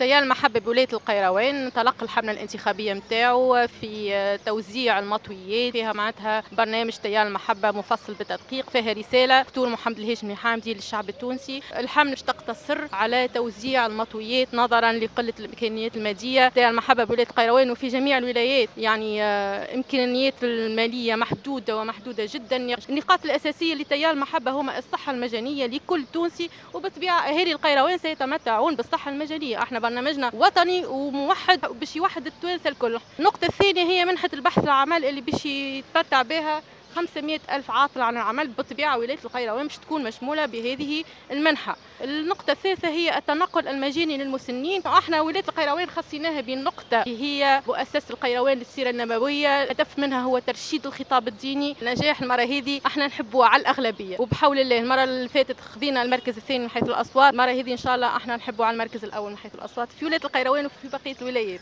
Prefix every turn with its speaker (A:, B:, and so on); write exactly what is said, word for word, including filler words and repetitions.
A: تيار المحبة بولاية القيروان انطلق الحملة الانتخابية متاعو في توزيع المطويات، فيها معناتها برنامج تيار المحبة مفصل بالتدقيق، فيها رسالة دكتور محمد الهاشمي حامدي للشعب التونسي. الحملة باش تقتصر على توزيع المطويات نظرا لقلة الإمكانيات المادية. تيار المحبة بولاية القيروان وفي جميع الولايات يعني آه، إمكانيات المالية محدودة ومحدودة جدا. النقاط الأساسية لتيار المحبة هما الصحة المجانية لكل تونسي، وبالطبيعة أهالي القيروان سيتمتعون بالصحة المجانية. احنا برنامجنا وطني وموحد باش يوحد التوانسة الكل. النقطة الثانية هي منحه البحث العمل اللي باش يتمتع بها خمسمائة ألف عاطل عن العمل، بالطبيعة ولاية القيروان باش تكون مشمولة بهذه المنحة. النقطة الثالثة هي التنقل المجاني للمسنين. احنا ولاية القيروان خصيناها بنقطة هي مؤسسة القيروان للسيرة النبوية، الهدف منها هو ترشيد الخطاب الديني. نجاح المرة هذه احنا نحبوا على الأغلبية، وبحول الله المرة اللي فاتت خذينا المركز الثاني من حيث الأصوات، المرة هذه إن شاء الله احنا نحبوا على المركز الأول من حيث الأصوات في ولاية القيروان وفي بقية الولايات.